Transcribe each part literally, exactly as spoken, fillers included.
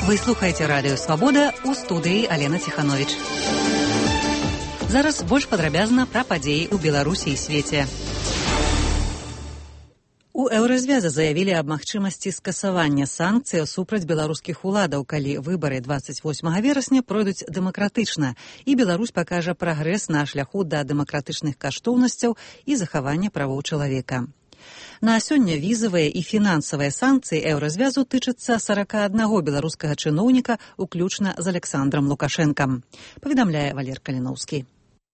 Вы слухаеце радыё Свабода, у студыі Алена Ціхановіч. Зараз больш падрабязна пра падзеі ў Беларусі і свеце. У Еўразвяза заявілі аб магчымасці скасавання санкцый супраць беларускіх уладаў, калі выбары дваццаць восьмага верасня пройдуць дэмакратычна, і Беларусь пакажа прагрэс на шляху да дэмакратычных каштоўнасцяў і захавання правоў чалавека. На сёння візавыя і фінансавыя санкцыі Еўразвязу тычацца сарака аднаго беларускага чыноўніка, уключна з Александром Лукашэнкам, паведамляе Валер Каліноўскі.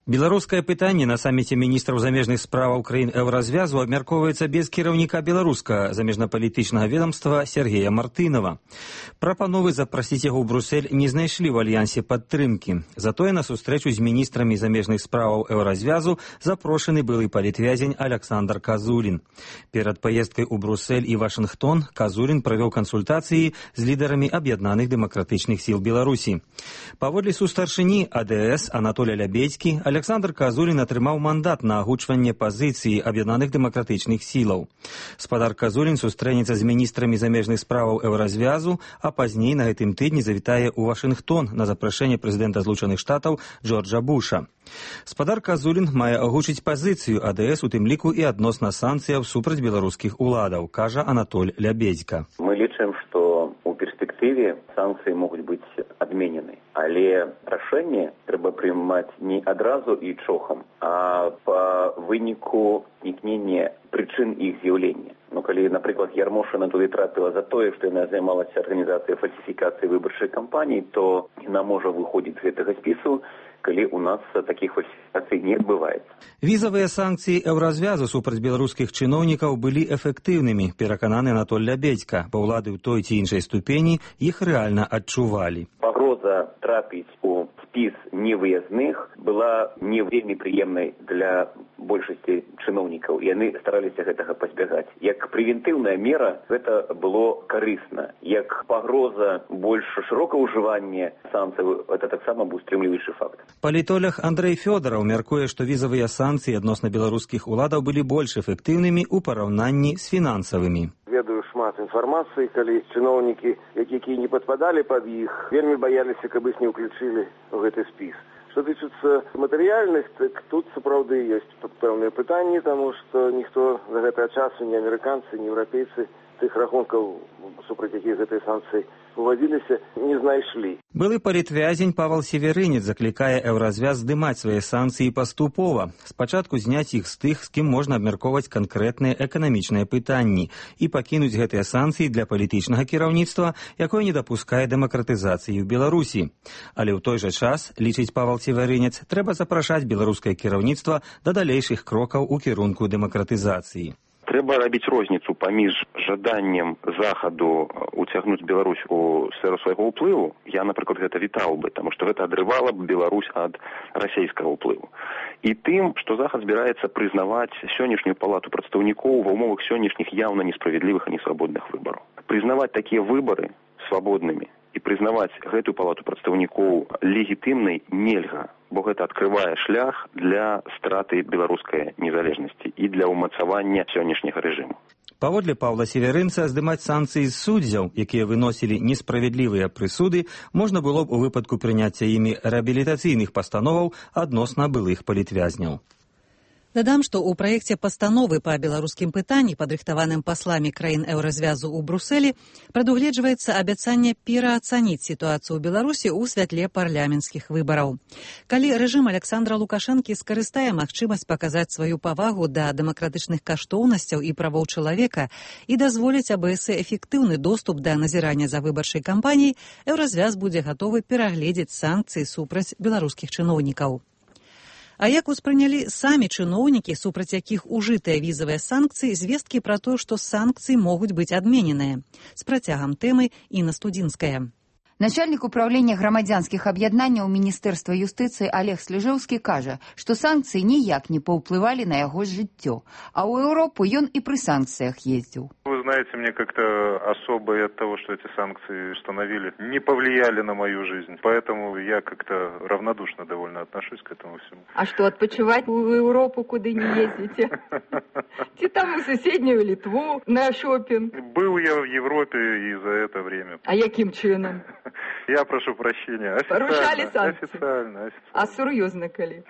Беларускае пытанне на саміце міністраў замежных справаў краін Еўразвязу абмяркоўваецца без кіраўніка беларускага замежнапалітычнага ведомства Сергея Мартынова. Прапановы запрасіць яго ў Брусэль не знайшлі ў альянсе падтрымкі. Затое на сустрэчу з міністрамі замежных справаў Еўразвязу запрошаны былы палітвязень Александр Казулін. Перад паездкай у Брусэль і Вашынгтон Казулін правёў кансультацыі з лідарамі аб'яднаных дэмакратычных сіл Беларусі. Паводле сустаршыні А Дэ Эс Анатолія Лябедзькі, Александр Казулін атрымаў мандат на агучванне пазіцыі аб'яднаных дэмакратычных сілаў. Спадар Казулін сустрэнецца з міністрамі замежных справаў Еўразвязу, а пазней на гэтым тыдні завітае ў Вашынгтон на запрашэнне прэзідэнта Злучаных Штатаў Джорджа Буша. Спадар Казулін мае агучыць пазіцыю А Дэ Эс, у тым ліку і адносна санкцыяў супраць беларускіх уладаў, кажа Анатоль Лябедзька. Мы лічым, што ў перспектыве санкцыі могуць быць адменены, але рашэнне трэба прымаць не адразу і чохам, а па выніку знікнення прычын іх з'яўлення. Ну, калі, напрыклад, Ярмошына туды трапіла за тое, што яна займалася арганізацыяй фальсіфікацыі выбарчай кампаніі, то яна можа выходзіць з гэтага спісу, калі у нас такіх фальсіфікацый не адбываецца. Візавыя санкцыі Еўразвязу супраць беларускіх чыноўнікаў былі эфектыўнымі, перакананы Анатоль Лябедзька, бо ўлады ў той ці іншай ступені іх рэальна адчувалі. Пагроза трапіць у спіс невыязных была не вельмі прыемнай для большасці чыноўнікаў, і яны стараліся гэтага пазбягаць. Як прэвентыўная мера гэта было карысна. Як пагроза больш шырокага ўжывання санкцый, гэта таксама быў стрымліваючы факт. Палітолог Андрэй Фёдараў мяркуе, што візавыя санкцыі адносна беларускіх уладаў былі больш эфектыўнымі ў параўнанні з фінансавымі. Ведаю шмат інфармацыі, калі чыноўнікі, якія не падпадалі пад іх, вельмі баяліся, каб іх не ўключылі ў гэты спіс. Што тычыцца матэрыяльных, так тут сапраўды ёсць пэўныя пытанні, таму што ніхто за гэтага часу, ні амерыканцы, ні еўрапейцы, тых рахункаў, супраць якіх гэтыя санкцыі увадзіліся, не знайшлі. Былы палітвязень Павал Северынец заклікае Еўразвяз здымаць свае санкцыі паступова. Спачатку зняць іх з тых, з кім можна абмяркоўваць канкрэтныя эканамічныя пытанні, і пакінуць гэтыя санкцыі для палітычнага кіраўніцтва, якое не дапускае дэмакратызацыі ў Беларусі. Але ў той жа час, лічыць Павал Северынец, трэба запрашаць беларускае кіраўніцтва да далейшых крокаў у кірунку дэмакратызацыі. Трэба рабіць розніцу паміж жаданнем захаду уцягнуць Беларусь у сферу свайго ўплыву. Я, напрыклад, гэта вітаў бы, таму што гэта адрывала б Беларусь ад расійскага ўплыву. І тым, што захад збіраецца прызнаваць сённяшнюю палату прадстаўнікоў ва ўмовах сённяшніх яўна несправядлівых і несвабодных выбараў. Прызнаваць такія выбары свабоднымі і прызнаваць гэтую палату прадстаўнікоў легітымнай нельга, бо гэта адкрывае шлях для страты беларускай незалежнасці і для ўмацавання сённяшняга рэжыму. Паводле Паўла Северынца, здымаць санкцыі з суддзяў, якія выносілі несправядлівыя прысуды, можна было б у выпадку прыняцця імі рэабілітацыйных пастановаў адносна былых палітвязняў. Дадам, што ў праекце пастановы па беларускім пытанні, падрыхтаваным пасламі краін Еўразвязу ў Брусэлі, прадугледжваецца абяцанне пераацаніць сітуацыю ў Беларусі ў святле парламенцкіх выбараў. Калі рэжым Александра Лукашэнкі скарыстае магчымасць паказаць сваю павагу да дэмакратычных каштоўнасцяў і правоў чалавека і дазволіць А Бэ Эс эфектыўны доступ да назірання за выбарчай кампаніяй, Еўразвяз будзе гатовы перагледзець санкцыі супраць беларускіх чыноўнікаў. А як успрынялі самі чыноўнікі, супраць якіх ужытыя візавыя санкцыі, звесткі пра тое, што санкцыі могуць быць адмененыя? З працягам тэмы Інна Студзінская. Начальник управления грамадзянскіх аб'яднанняў Міністэрства юстыцыі Олег Сліжэўскі кажа, што санкцыі ніяк не паўплывалі на яго жыццё, а ў Еўропу ён і пры санкцыях ездзіў. Вы знаете, мне как-то особо от того, что эти санкции установили, не повлияли на мою жизнь. Поэтому я как-то равнодушно довольно отношусь к этому всему. А что, отпочивать в Европу куда не ездите? Ти там в соседнюю Литву на шопинг? Был я в Европе и за это время. А яким чином? Я прошу прощения. Порушали санкции? Официально, официально. А серьезно, коли?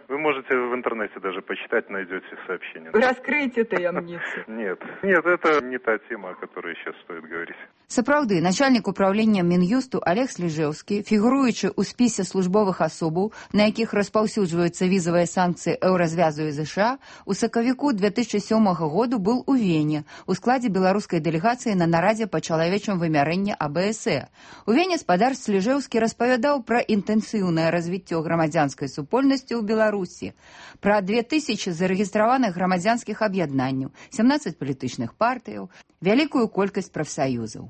Вы можете в интернете даже почитать, найдете сообщения. Раскройте таямницу. Нет, нет, это не та тема, о которой сейчас стоит говорить. Сапраўды, начальнік управлення Мін'юсту Олег Сліжэўскі, фігуруючи у спісе службових асобаў, на якіх распаўсюджваюцца візавыя санкцыі Еўразвязу і ЗША, у сакавіку две тысячи сёмага году быў у Вене у складзе беларускай дэлегацыі на нарадзе па чалавечым вымярэнні А Б С Э. У Вене спадар Сліжэўскі распавядаў пра інтэнсіўнае развіццё грамадзянскай супольнасці ў Беларусі, пра две тысячи зарэгістраваных грамадзянскіх аб'яднанняў, сямнаццаць палітычных партыяў, вялікую колькасць прафсаюзаў.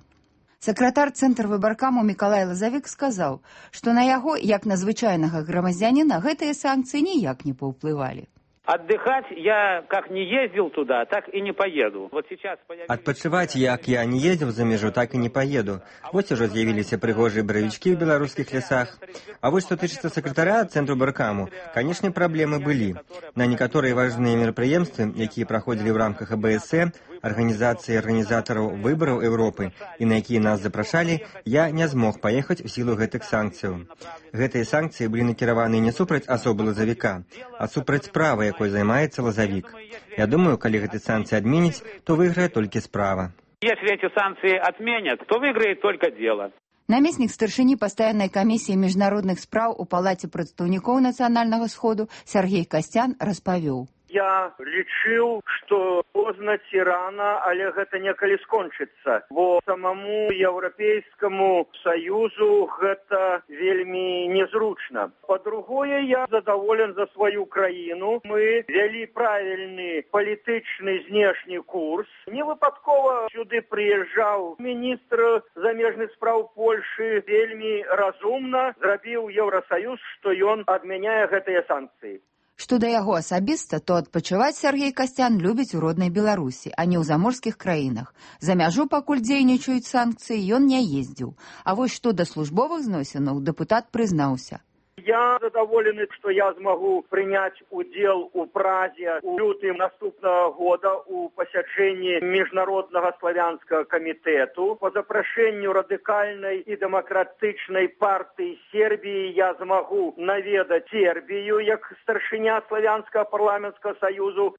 Сакратар Цэнтр выбаркаму Мікалай Лазавік сказаў, што на яго, як на звычайнага грамадзяніна, гэтыя санкцыі ніяк не паўплывалі. Отдыхать я как не ездил туда, так и не поеду. Вот сейчас появились... Адпачываць, як я не ездил за межу, так и не поеду. Вот уже з'явіліся прыгожыя баравічкі ў беларускіх лясах. А вот что тычыцца сакратаря Цэнтру выбаркаму, конечно, праблемы былі. На некаторыя важныя мерапрыемствы, якія праходзілі ў рамках А Б С Э, арганізацыі арганізатараў выбараў Еўропы, і на якія нас запрашалі, я не змог паехаць у сілу гэтых санкцыяў. Гэтыя санкцыі былі накіраваны не супраць асобы лазавіка, а супраць справы, якой займаецца лазавік. Я думаю, калі гэты санкцыі адменіць, то выйграе толькі справа. Если эти санкции отменят, то выиграет только дело. Намеснік старшыні пастаяннай камісіі міжнародных спраў у палаце прадстаўнікоў нацыянальнага сходу Сергей Касцян распавёў. Я лічыў, што позна ці рана, але гэта некалі скончыцца, бо самому Еўрапейскаму Саюзу гэта вельмі незручна. Па-другое, я задаволен за сваю краіну. Мы вялі правільны палітычны знешні курс. Не выпадкова сюды прыязджаў міністр замежных спраў Польшы, вельмі разумна зрабіў Еўрасаюз, што ён адмяняе гэтыя санкцыі. Што да яго асабіста, то адпачываць Сергей Касцян любіць у роднай Беларусі, а не ў заморскіх краінах. За мяжу, пакуль дзейнічаюць санкцыі, ён не ездзіў. А вось што да службовых зносінаў дэпутат прызнаўся. Я задаволены, што я змагу прыняць удзел у Празе у лютым наступнага года у пасяджэнні міжнароднага славянскага камітэту. Па запрашэнню радыкальнай і дэмакратычнай партыі Сербіі я змагу наведаць Сербію як старшыня славянскага парламенцкага саюзу.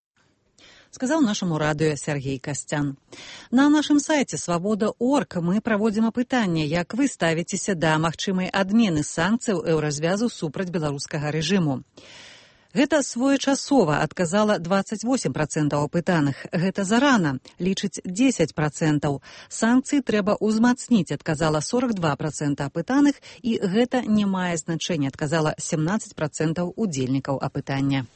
Сказал нашему радыё Сергей Касцян. На нашым сайце свабода точка орг мы праводзім апытанне, як вы ставіцеся да магчымай адмены санкцыяў еўразвязу супраць беларускага рэжыму. Гэта своечасова, адказала двадцать восемь процентов апытаных. Гэта зарана, лічыць дзесяць процентов. Санкцыі трэба ўзмацніць, адказала сорок два процента апытаных, і гэта не мае значэння, адказала семнадцать процентов удзельнікаў апытання.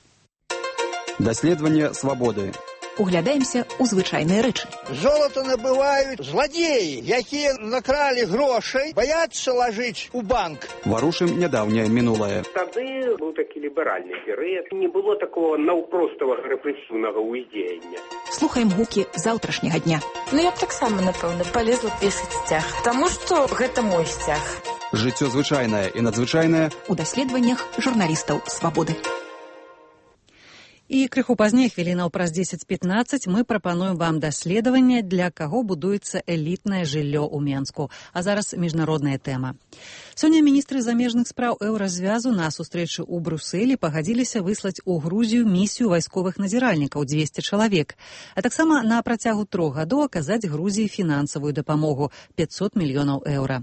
Даследаванне свабоды. Углядаемся ў звычайныя рэчы. Золото набываюць зладзеі, якія накралі грошай, баяцца лажыць у банк. Варушым нядаўняе мінулае. Тады быў такі ліберальны перыяд. Не было такого наўпроставага рэпрэсіўнага ўздзеяння. Слухаем гукі заўтрашняга дня. Ну я б таксама, напэўна, палезла пешаць сцяг, таму што гэта мой сцяг. Жыццё звычайнае і надзвычайнае у даследаваннях журналістаў свабоды. І крыху пазней, хвілінаў праз дзесяць пятнаццаць, мы прапануем вам даследаванне, для каго будуецца элітнае жыллё ў Менску. А зараз міжнародная тэма. Сёння міністры замежных спраў Еўразвязу на сустрэчы ў Брусэлі пагадзіліся выслаць у Грузію місію вайсковых назіральнікаў дзвесце чалавек, а таксама на працягу трох гадоў аказаць Грузіі фінансавую дапамогу пятьсот мільёнаў еўра.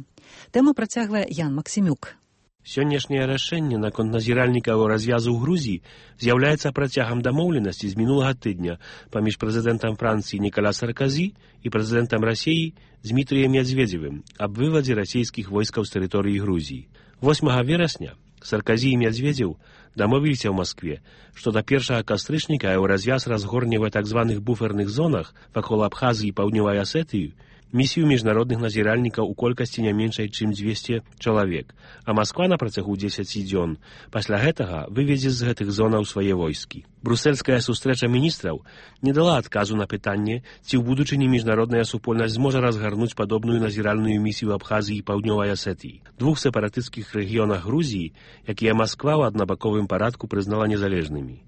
Тэму працягвае Ян Максімюк. Сённяшняе рашэнне наконт назіральнікаў развязу ў Грузіі з'яўляецца працягам дамоўленасці з мінулага тыдня паміж прэзідэнтам Францыі Нікола Саркозі і прэзідэнтам Расіі Дзмітрыем Медведзевым аб вывадзе расійскіх войскаў з тэрыторыі Грузіі. восьмага верасня Саркозі і Медведзеў дамовіліся ў Маскве, што да першага кастрычніка еўразвяз разгорне ў так званых буферных зонах вакол Абхазіі і Паўднёвай Асетыі місію міжнародных назіральнікаў у колькасці не меншай, чым дзвесце чалавек, а Масква на працягу дзесяці дзён пасля гэтага выведзе з гэтых зонаў свае войскі. Брусельская сустрэча міністраў не дала адказу на пытанне, ці ў будучыні міжнародная супольнасць зможа разгарнуць падобную назіральную місію Абхазіі і Паўднёвай Асетыі, двух сепаратысцкіх рэгіёнах Грузіі, якія Масква ў аднабаковым парадку прызнала незалежнымі.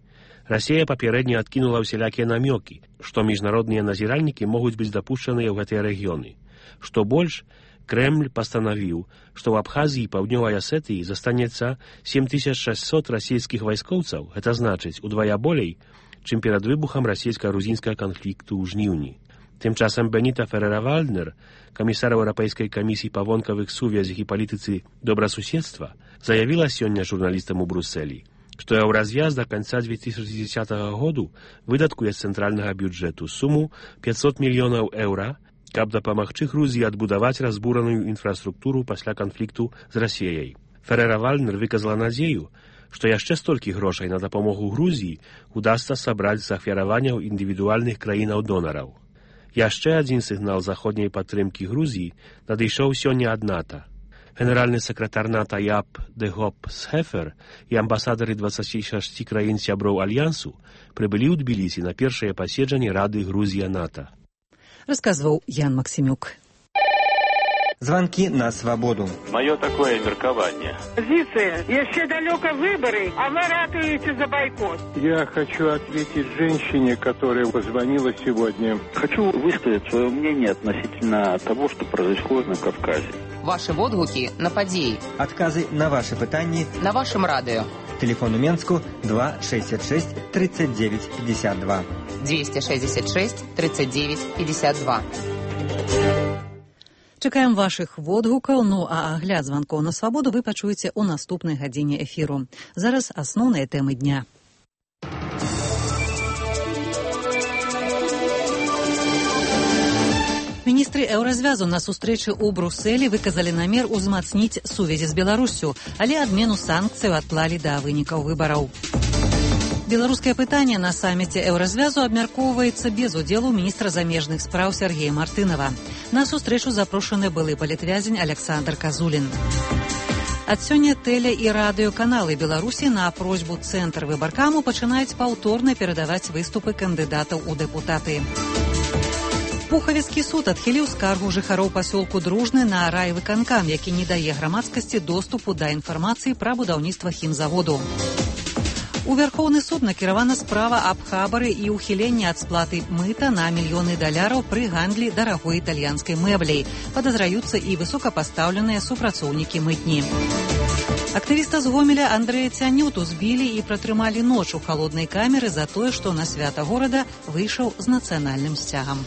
Расія папярэдне адкінула ўсялякія намёкі, што міжнародныя назіральнікі могуць быць дапушчаныя ў гэтыя рэгіёны. Што больш, Крэмль пастанавіў, што ў Абхазіі і Паўднёвай Асетыі застанецца сем тысяч шэсцьсот расійскіх вайскоўцаў, гэта значыць удвая болей, чым перад выбухам расійска-грузінскага канфлікту ў жніўні. Тым часам Беніта Ферера-Вальднер, камісар Еўрапейскай камісіі па вонкавых сувязях і палітыцы добрасуседства, заявіла сёння журналістам у Брусэлі, што Еўразвяз да канца две тысячи дзесятага году выдаткуе з цэнтральнага бюджэту суму пятьсот мільёнаў еўра, каб дапамагчы Грузіі адбудаваць разбураную інфраструктуру пасля канфлікту з Расіяй. Ферера-Вальднер выказала надзею, што яшчэ столькі грошай на дапамогу Грузіі удасца сабраць з ахвяраванняў індывідуальных краінаў-донараў. Яшчэ адзін сігнал заходняй падтрымкі Грузіі надышоў сёння ад НАТО. Генеральны сакратар НАТО Яп де Гоп Схефер і амбасадары дваццаці шасці краін сяброў Альянсу прыбылі ў Тбілісі на першае паседжанне Рады Грузія-НАТО. Расказваў Ян Максимюк. Звонки на свободу. Мое такое меркование. Позиция. Еще далеко выборы, а вы ратуете за бойкот. Я хочу ответить женщине, которая позвонила сегодня. Хочу высказать свое мнение относительно того, что происходит на Кавказе. Ваши водгуки на подеи. Отказы на ваши пытания. На вашем радио. Телефон у Менску два шестьдесят шесть тридцать девять пятьдесят два. двести шестьдесят шесть тридцать девять пятьдесят два. Чакаем вашых водгукаў, ну а агляд званкоў на свабоду вы пачуеце ў наступнай гадзіне эфіру. Зараз асноўныя тэмы дня. Міністры Еўразвязу на сустрэчы ў Брусэлі выказалі намер узмацніць сувязі з Беларуссю, але адмену санкцыяў адклалі да вынікаў выбараў. Беларускае пытанне на саміце Еўразвязу абмяркоўваецца без удзелу міністра замежных спраў Сергея Мартынова. На сустрэчу запрошаны былы палітвязень Александр Казулін. Ад сёння тэле- і радыёканалы Беларусі на просьбу Цэнтр выбаркаму пачынаюць паўторна перадаваць выступы кандыдатаў у дэпутаты. Пухавецкі суд адхіліў скаргу жыхароў пасёлку Дружны на райвыканкам, які не дае грамадскасці доступу да інфармацыі пра будаўніцтва хімзаводу. У Вярхоўны суд накіравана справа аб хабары і ўхіленні ад сплаты мыта на мільёны даляраў пры гандлі дарагой італьянскай мэбляй. Падазраюцца і высокапастаўленыя супрацоўнікі мытні. Актывіста з Гомеля Андрэя Цянюту збілі і пратрымалі ноч у халоднай камеры за тое, што на свята горада выйшаў з нацыянальным сцягам.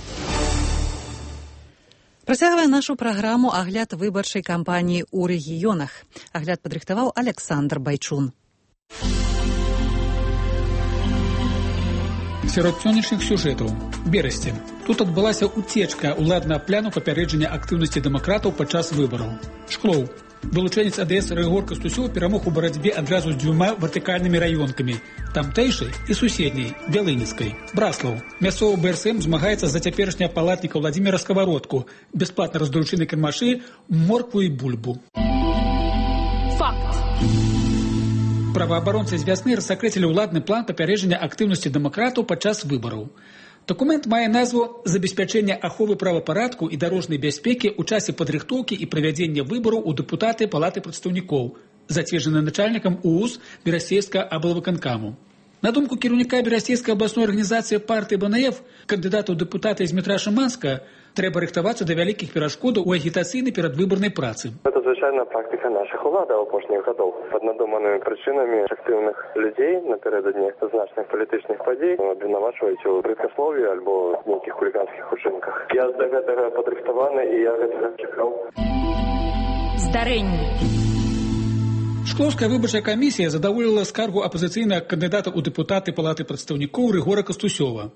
Працягвае нашу праграму агляд выбарчай кампаніі ў рэгіёнах. Агляд падрыхтаваў Александр Байчун. Сярод сённяшніх сюжэтаў. Берасці. Тут адбылася уцечка ўладнага пляну папярэджання актыўнасці дэмакратаў падчас выбараў. Шклоў. Вылучэнец АДС Рыгор Кастусёў перамог у барацьбе адразу з дзвюма вертыкальнымі раёнкамі – тамтэйшай і суседняй, Бялыніцкай. Браслаў. Мясцовы БРСМ змагаецца за цяперашняга палатніка Владзіміра Скавародку, бясплатна раздручыны кірмашы, моркву і бульбу. Факт. Праваабаронцы з вясны рассакрэцілі ўладны план папярэджання актыўнасці дэмакратаў падчас выбараў. Дакумент мае назву «Забеспячэнне аховы правапарадку і дарожнай бяспекі ў часе падрыхтоўкі і правядзення выбараў у дэпутаты Палаты прадстаўнікоў», зацверджаны начальнікам УУС Берасцейскага аблвыканкаму. На думку кіраўніка Берасцейскай абласной арганізацыі партыі БНФ, кандыдата ў дэпутаты з метра Шыманска, трэба рыхтавацца да вялікіх перашкодаў у агітацыйнай перадвыбарнай працы. Гэта звычайная практыка нашых уладаў апошніх гадоў. Пад надуманымі прычынамі актыўных людзей напярэдадні значных палітычных падзей абвінавачваюць у брыдкаслові альбо нейкіх хуліганскіх учынках. Я да гэтага падрыхтаваны і я гэтага чакаў. Здарэнне. Шклоўская выбарчая камісія задаволіла скаргу апазіцыйнага кандыдата ў дэпутаты Палаты прадстаўнікоў Рыгора Кастусёва.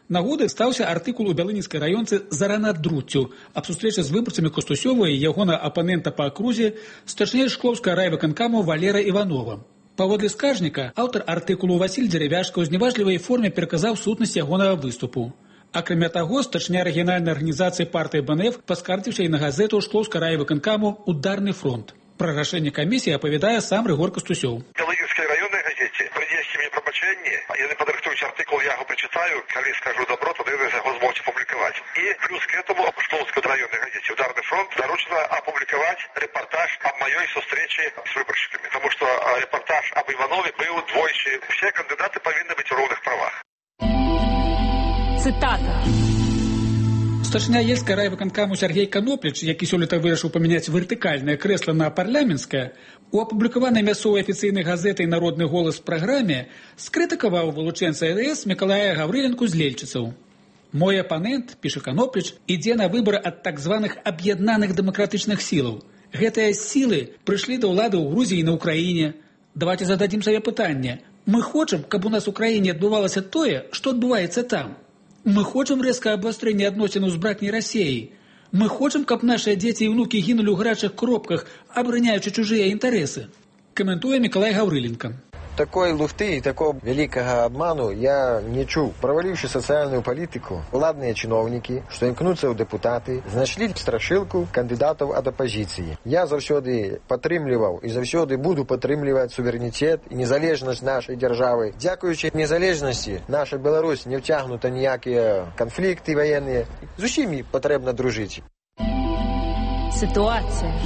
Нагодай стаўся артыкул у Бялыніцкай раёнцы «Зарана друццю» аб сустрэчы з выбарцамі Кастусёва і ягона апанента па акрузе, старшыня Шклоўскага райвыканкаму Валера Іванова. Паводле скаржніка, аўтар артыкулу Васіль Дзеревяшка ў зневажлівай форме пераказаў сутнасць ягонага выступу. Акрамя таго, старшыня рэгіянальнай арганізацыі партыі БНФ паскардзіўся і на газету Шклоўска райвыканкаму «Ударны фронт». Пра рашэнне камісіі апавядае сам Рыгор Кастусёў. Калыгінскай раённай газеце прынесці мне прабачэнне, яны падрыхтуюць артыкул, я яго прачытаю, калі скажу добро, тады яны яго змогуць апублікаваць. І плюс к этому в Шклоўскай раённай газеце «Ударны фронт» даручана апублікаваць рэпартаж аб маёй сустрэчы з выбаршчыкамі, тому што рэпартаж аб Іванове быў двойчы. Все кандыдаты павінны быць у роўных правах. Цытата. Старшыня Ельскай райвыканкаму Сергей Канопліч, які сёлета вырашыў памяняць вертыкальнае крэсла на парламенцкае, у апублікаванай мясцовай афіцыйнай газетай «Народны голас» праграме скрытыкаваў вылучэнца эр эс Мікалая Гаврыленку з Лельчыцаў. «Мой апанент, піша Канопліч, ідзе на выбары ад так званых аб'яднаных дэмакратычных сілаў. Гэтыя сілы прыйшлі да ўлады ў Грузіі і на Ўкраіне. Давайте зададзім сабе пытанне. Мы хочам, каб у нас у краіне адбывалася тое, што адбываецца там. Мы хочам рэзка абвастрэння адносінаў з братняй Расіяй. Мы хочам, каб нашыя дзеці і ўнукі гінулі ў гарачых кропках, абараняючы чужыя інтарэсы». Каментуе Мікалай Гаврыленка. Такой лухты и такого великого обману я не чуў. Проваливши социальную политику, ладные чиновники, что імкнуцца ў депутаты, знайшлі страшилку кандидатов от оппозиции. Я заўсёды падтрымліваў и заўсёды буду падтрымліваць суверенитет и незалежность нашей державы. Дзякуючы незалежности наша Беларусь не втягнута ніякія конфликты военные. З усімі патрэбна дружыць. Ситуация.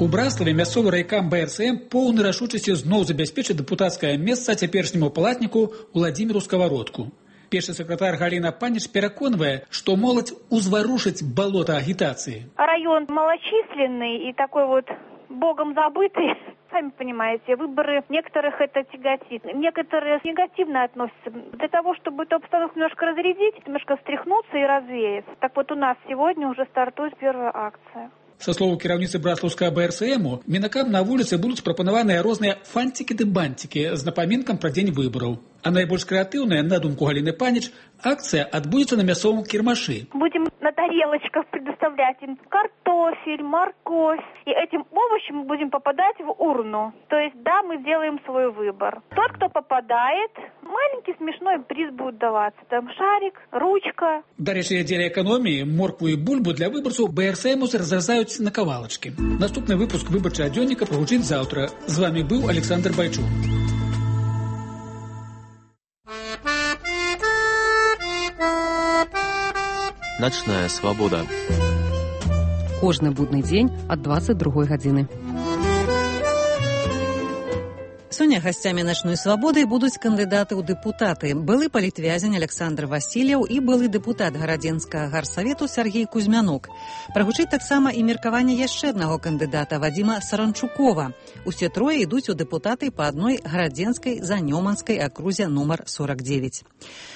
У Браславе мясцовы райкам бэ эр цэ эм поўнай рашучасці зноў забяспечыць дэпутацкае месца цяперашняму палатніку Уладзіміру Сковородку. Першы сакратар Галіна Паніч пераконвае, што моладзь узварушыць балота агітацыі. Район малочисленный и такой вот богом забытый. Сами понимаете, выборы некоторых это тяготит, некоторые негативно относятся. Для того, чтобы эту обстановку немножко разрядить, немножко встряхнуться и развеяться. Так вот у нас сегодня уже стартует первая акция. Са слову кіраўніцы браслаўскага бэ эр цэ эму, мінакам на вуліцы будуць прапанаваныя розныя фантики ды бантики з напамінкам пра дзень выбараў. А найбольш крэатыўная, на думку Галіны Паніч, акцыя адбудзецца на мясцовым кірмашы. Будем на тарелочках предоставлять им картофель, морковь. И этим овощем мы будем попадать в урну. То есть, да, мы сделаем свой выбор. Тот, кто попадает, маленький смешной приз будет даваться. Там шарик, ручка. Дарэчы, дзеля эканоміі моркву і бульбу для выбарцаў бэ эр цэ эму разразаюць на кавалачкі. Наступны выпуск выбарчага дзённіка прагучыць заўтра. З вами быў Александр Байчук. Начная свабода. Кожны будны дзень ад дваццаць другой гадзіны. Сёння гасцямі начной свабоды будуць кандыдаты ў дэпутаты. Былы палітвязень Александр Васильев і былы дэпутат гарадзенскага гарсавету Сергей Кузьмянок. Прагучыць таксама і меркаванне яшчэ аднаго кандыдата Вадзіма Саранчукова. Усе трое ідуць у дэпутаты па адной гарадзенскай занёманскай акрузе нумар сорок девять.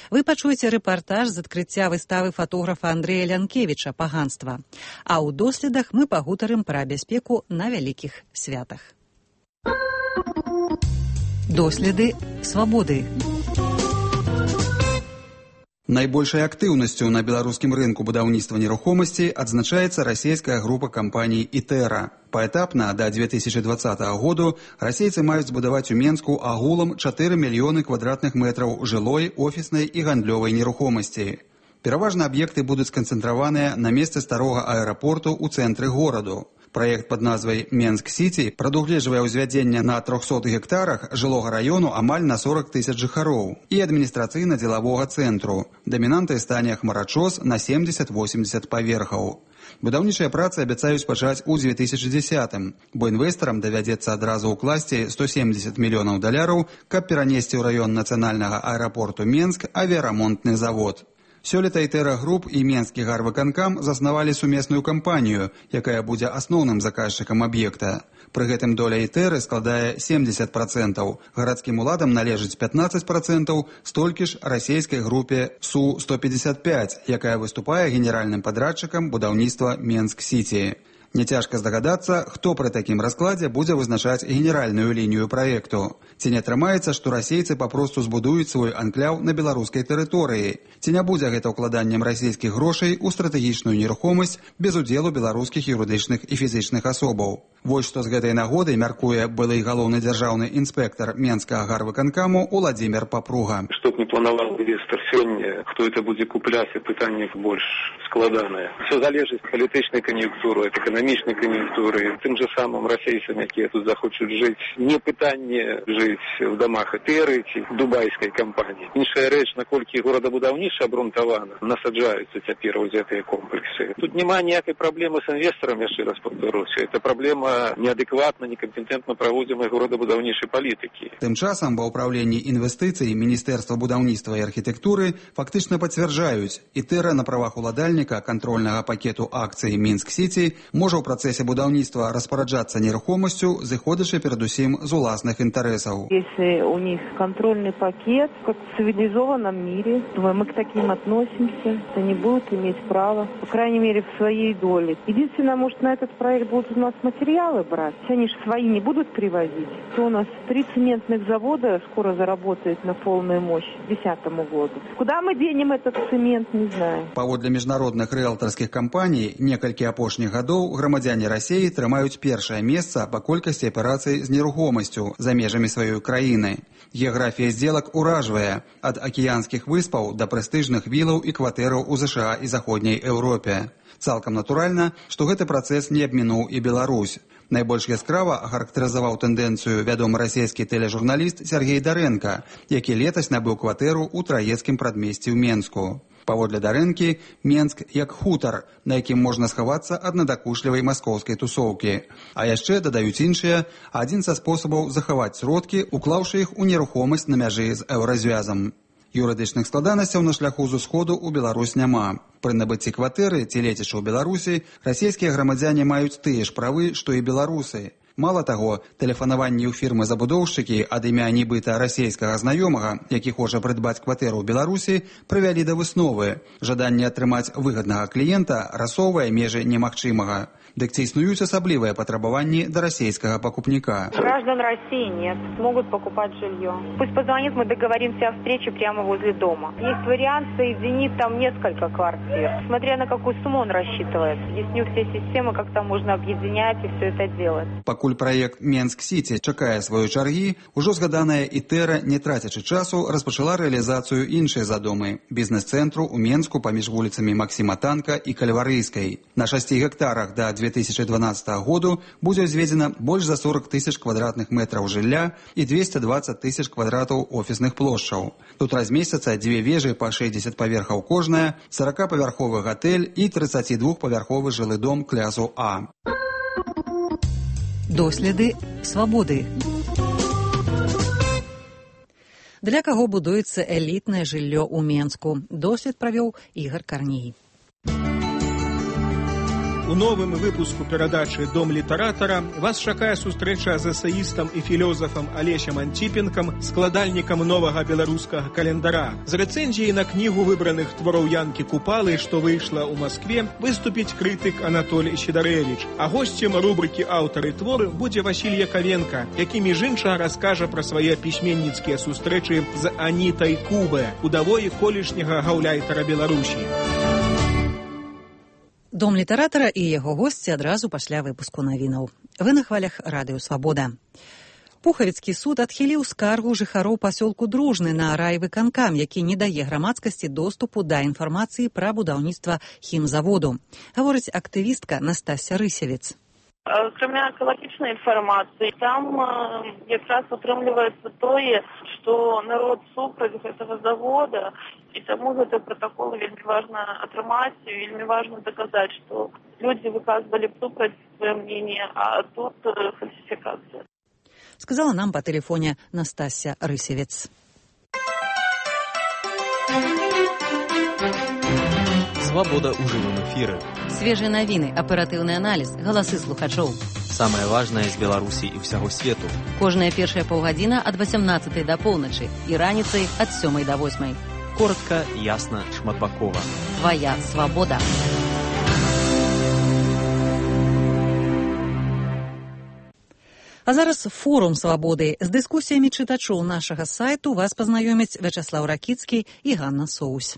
Вы пачуеце рэпартаж з адкрыцця выставы фотографа Андрэя Лянкевіча «Паганства». А ў доследах мы пагутарым пра бяспеку на вялікіх святах. Доследы свабоды. Найбольшай актыўнасцю на беларускім рынку будаўніцтва нерухомасці адзначаецца расійская група кампаній «Ітэра». Паэтапна да две тысячи двадцатого году расейцы маюць збудаваць у Менску агулам чатыры мільёны квадратных метраў жылой, офіснай і гандлёвай нерухомасці. Пераважна аб'екты будуць сканцэнтраваныя на месцы старога аэрапорту ў цэнтры гораду. Праект пад назвай «Менск-Сіці» прадугледжвае ўзвядзенне на трохсот гектарах жылога раёну амаль на сорок тысяч жыхароў і адміністрацыйна-дзелавога цэнтру. Дамінантай стане хмарачос на семьдесят-восемьдесят паверхаў. Будаўнічыя працы абяцаюць пачаць у две тысячи десятым, бо інвестарам давядзецца адразу ўкласці сто семьдесят мільёнаў даляраў, каб перанесці ў раён нацыянальнага аэрапорту Менск авіярамонтны завод. Сёлета «Ітэра Груп» і Менскі гарвыканкам заснавалі сумесную кампанію, якая будзе асноўным заказчыкам аб'екта. Пры гэтым доля «Ітэры» складае семьдесят процентов, гарадскім уладам належыць пятнадцать процентов, столькі ж расійскай групе Су сто пятьдесят пять, якая выступае генеральным падрадчыкам будаўніцтва Менск-Сіці. Няцяжка здагадацца, хто пры такім раскладзе будзе вызначаць генеральную лінію праекту. Ці не атрымаецца, што расейцы папросту збудуюць свой анкляў на беларускай тэрыторыі. Ці не будзе гэта ўкладаннем расійскіх грошай у стратэгічную нерухомасць без удзелу беларускіх юрыдычных і фізічных асобаў. Вось што з гэтай нагоды мяркуе былы галоўны дзяржаўны інспектар Менскага гарвыканкаму Уладзімір Папруга. Што б не планаваў інвестар сёння, хто это будзе купляць, і пытанне больш складанае. Все залежыць ад палітычнай кан'юнктуры, ад эканамічнай кан'юнктуры. Тым же самым расейцам, якія тут захочуць жыць, не пытанне жыць в дамах Этэры ці дубайскай кампаніі. Іншая рэч, наколькі горадабудаўніцтва абрунтавана, насаджаюцца цяпер у гэтыя комплексы. Тут няма ніякай праблемы з інвестарам, яшчэ раз паўтаруся. Это праблема неадэкватна, некампетэнтна праводзімай горадабудаўнічай палітыкі. Тым часам ва ўпраўленні інвестыцый Міністэрства будаўніцтва і архітэктуры фактычна пацвярджаюць, Этэра на правах уладальніка кантрольнага пакету акцый Мінск-Сіці можа ў працэсе будаўніцтва распараджацца нерухомасцю, зыходзячы перадусім з уласных інтарэсаў. Если у них контрольный пакет, как в цивилизованном мире, мы к таким относимся, они будут иметь право, по крайней мере, в своей доле. Единственное, может, на этот проект будут у нас материалы брать, они же свои не будут привозить. То у нас три цементных завода скоро заработает на полную мощь к две тысячи десятому году. Куда мы денем этот цемент, не знаю. Паводле міжнародных рыэлтарскіх кампаній, некалькі апошніх гадоў грамадзяне Расіі трымаюць першае месца па колькасці аперацый з нерухомасцю за межамі сваёй краіны. Геаграфія здзелак уражвае ад акіянскіх выспаў да прэстыжных вілаў і кватэраў у ЗША і заходняй Еўропе. Цалкам натуральна, што гэты працэс не абмінуў і Беларусь. Найбольш яскрава ахарактарызаваў тэндэнцыю вядомы расійскі тэлежурналіст Сергей Дарэнка, які летась набыў кватэру ў траецкім прадмесці ў Менску. Паводле Дарэнкі, Менск як хутар, на якім можна схавацца ад надакушлівай маскоўскай тусоўкі. А яшчэ дадаюць іншыя, адзін са спосабаў захаваць сродкі, уклаўшы іх у нерухомасць на мяжы з еўразвязам. Юрыдычных складанасцяў на шляху з усходу ў Беларусь няма. Пры набыцці кватэры ці лецячы ў Беларусі расійскія грамадзяне маюць тыя ж правы, што і беларусы. Мала таго, тэлефанаванні ў фірмы-забудоўшчыкі ад імя нібыта расійскага знаёмага, які хоча прыдбаць кватэру ў Беларусі, прывялі да высновы. Жаданне атрымаць выгаднага кліента расоўвае межы немагчымага. Дык ці існуюць асаблівыя патрабаванні да расійскага пакупніка? Граждан России нет, могут покупать жилье. Пусть позвонит, мы договоримся о встрече прямо возле дома. Есть вариант соединить там несколько квартир, смотря на какую сумму он рассчитывает. Объясню все системы, как там можно объединять и все это делать. Пакуль праект Менск-Сіці чакае сваёй чаргі, ужо згаданая Этэра, не трацячы часу, распачала рэалізацыю іншай задумы – бізнес-цэнтру ў Менску паміж вуліцамі Максіма Танка і Кальварыйскай. На шасці гектарах да две тысячи дванадцатага году будзе ўзведзена больш за сорок тысяч квадратных метраў жылля і двести двадцать тысяч квадратаў офісных плошчаў. Тут размесцяцца дзве вежы па шэсцьдзесят паверхаў кожная, сорокапавярховы гатэль і тридцатидвухпавярховы жылы дом класу А. Доследы свабоды. Для каго будуецца элітнае жыллё ў Менску? Дослед правёў Ігар Карній. У новым выпуску перадачы «Дом літаратара» вас чакае сустрэча з эсэістам і філёзафам Алесем Антіпенкам, складальнікам новага беларускага календара. З рэцэнзіяй на кнігу выбраных твораў Янкі Купалы, што выйшла ў Маскве, выступіць крытык Анатолій Сідарэвіч. А госцем рубрыкі «Аўтары творы» будзе Васіль Яковенко, які між іншага раскажа пра свае пісьменніцкія сустрэчы з Анітай Кубе, удавой колішняга гаўляйтара Беларусі. Дом літаратара і яго госці адразу пасля выпуску навінаў. Вы на хвалях радыё «Свабода». Пухавіцкі суд адхіліў скаргу жыхароў пасёлку Дружны на райвыканкам, які не дае грамадскасці доступу да інфармацыі пра будаўніцтва хімзаводу. Гаворыць актывістка Настасья Рысевец. Акрамя экалагічнай інфармацыі, там якраз атрымліваецца тое, што народ супраць гэтага завода, і таму гэты протакол вельмі важна атрымаць, вельмі важна даказаць, што людзі выказвалі супраць сваё мнение, а тут фальсификация. Сказала нам по тэлефоне Настасья Рысевец. Свобода ў жывым эфіры. Свежыя навіны, аператыўны аналіз, галасы слухачоў. Самае важнае з Беларусі і ўсяго свету. Кожная першая паўгадзіна ад васямнаццатай да поўначы і раніцай ад сёмай да восьмай. Коротка, ясна, шматбакова. Твая свабода. А зараз форум свабоды. З дыскусіямі чытачоў нашага сайту вас пазнаёмяць Вячаслаў Ракіцкі і Ганна Соусь.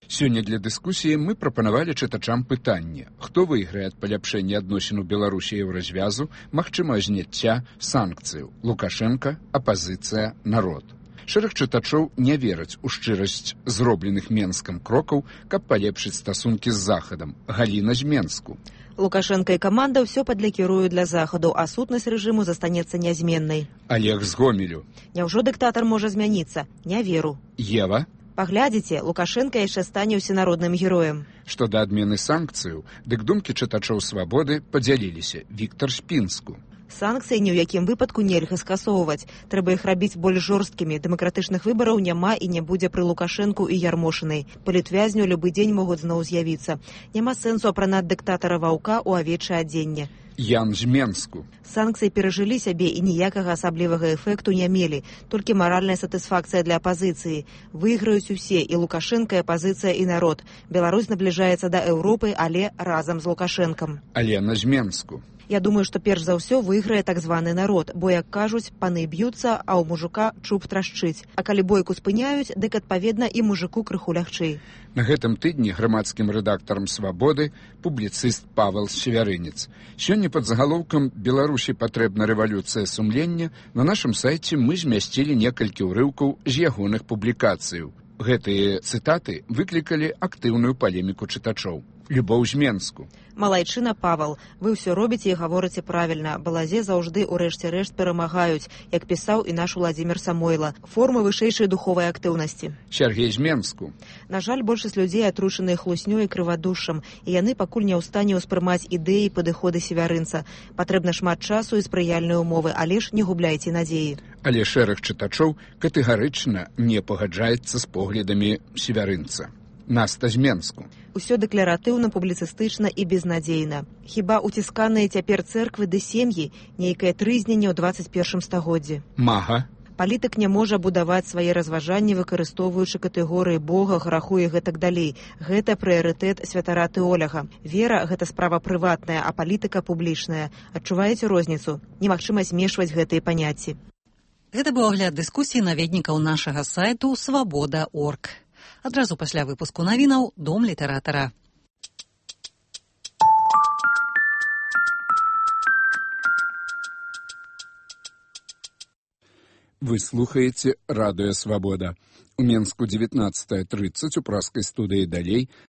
Сёння для дыскусіі мы прапанавалі чытачам пытанне: хто выйграе ад паляпшэння адносін у Беларусі і Еўразвязу, магчымае зняцця санкцыяў: Лукашенка, апазіцыя, народ. Шэраг чытачоў не вераць у шчырасць зробленых Менскам крокаў, каб палепшыць стасункі з Захадам. Галіна з Менску. Лукашенко і каманда ўсё падлякіруюць для Захаду, а сутнасць рэжыму застанецца нязменнай. Олег з Гомелю. Няўжо дыктатар можа змяніцца? Не веру. Ева. Паглядзіце, Лукашенко яшчэ стане ўсенародным героем. Што да адмены санкцыяў, дык думкі чытачоў свабоды падзяліліся. Віктор з Пінску. Санкцыі ні ў якім выпадку нельга скасоўваць. Трэба іх рабіць больш жорсткімі. Дэмакратычных выбараў няма і не будзе пры Лукашэнку і Ярмошынай. Палітвязню любы дзень могуць зноў з'явіцца. Няма сэнсу апранаць дыктатара ваўка ў авечае адзенне. Ян з Менску. Санкцыі перажылі сябе і ніякага асаблівага эфекту не мелі, толькі маральная сатысфакцыя для апазіцыі. Выйграюць усе, і Лукашенка, і апазіцыя, і народ. Беларусь набліжаецца да Еўропы, але разам з Лукашэнкам. Алена з Менску. Я думаю, што перш за ўсё выйграе так званы народ, бо, як кажуць, паны б'юцца, а ў мужика чуб трашчыць. А калі бойку спыняюць, дык адпаведна і мужику крыху лягчэй. На гэтым тыдні грамадскім рэдактарам «Свабоды» публіцыст Павел Севярынец. Сёння пад загалоўкам «Беларусі патрэбна рэвалюцыя сумлення» на нашым сайце мы змясцілі некалькі ўрыўкаў з ягоных публікацыяў. Гэтыя цытаты выклікалі актыўную палеміку чытачоў. Любоў з Менску. Малайчына, Павел, вы ўсё робіце і гаворыце правільна. Балазе заўжды ў рэшце рэшт перамагаюць, як пісаў і наш Уладзімір Самойла. Формы вышэйшай духовай актыўнасці. Сергей з Менску. На жаль, большасць людзей атручаныя хлуснёй і крывадушшам, і яны пакуль не ў стане ўспрымаць ідэі і падыходы Севярынца. Патрэбна шмат часу і спрыяльнай умовы, але ж не губляйце надзеі. Але шэраг чытачоў катэгарычна не пагаджаецца з поглядамі Севярынца. Наста з Менску. Усё дэкларатыўна, публіцыстычна і безнадзейна. Хіба уцісканыя цяпер цэрквы ды сем'і, нейкае трызненне ў дваццаць першым стагоддзі. Мага. Палітык не можа будаваць свае разважанні, выкарыстоўваючы катэгорыі Бога, граху і гэтак далей. Гэта прыярытэт святара тэолага. Вера – гэта справа прыватная, а палітыка публічная. Адчуваеце розніцу? Немагчыма змешваць гэтыя паняцці. Гэта быў агляд дыскусіі наведнікаў нашага сайту свабода точка орг. Адразу пасля выпуску навінаў «Дом літаратара». Вы слухаеце радыё «Свабода». У Менску дзевятнаццатая трыццаць у праскай студыі «Далей»